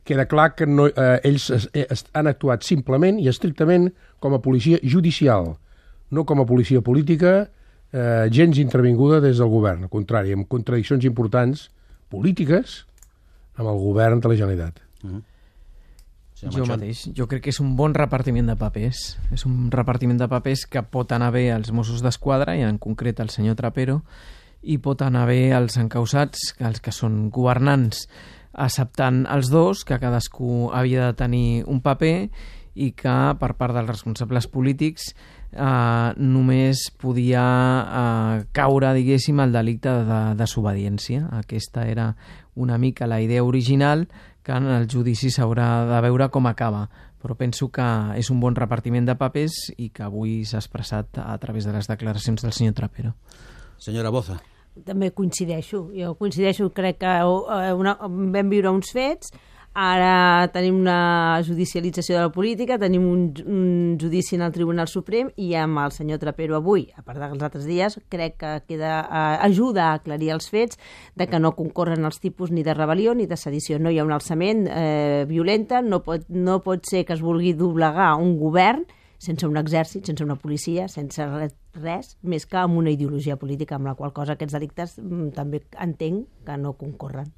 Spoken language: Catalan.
queda clar que ells han actuat simplement i estrictament com a policia judicial, no com a policia política, gens intervinguda des del govern, al contrari, amb contradiccions importants polítiques amb el govern de la Generalitat. Jo mateix. Jo crec que és un bon repartiment de papers. És un repartiment de papers que pot anar bé als Mossos d'Esquadra, i en concret al senyor Trapero, i pot anar bé als encausats, els que són governants, acceptant els dos, que cadascú havia de tenir un paper, i que per part dels responsables polítics només podia caure, diguéssim, el delicte de desobediència. Aquesta era una mica la idea original, que en el judici s'haurà de veure com acaba, però penso que és un bon repartiment de papers i que avui s'ha expressat a través de les declaracions del senyor Trapero. Senyora Boza. També coincideixo. Jo coincideixo, crec que vam viure uns fets, ara tenim una judicialització de la política, tenim un judici en el Tribunal Suprem, i amb el senyor Trapero avui, a part dels altres dies, crec que ajuda a aclarir els fets de que no concorren els tipus ni de rebel·lió ni de sedició. No hi ha un alçament violenta, no pot ser que es vulgui doblegar un govern sense un exèrcit, sense una policia, sense res, més que amb una ideologia política, amb la qual cosa aquests delictes també entenc que no concorren.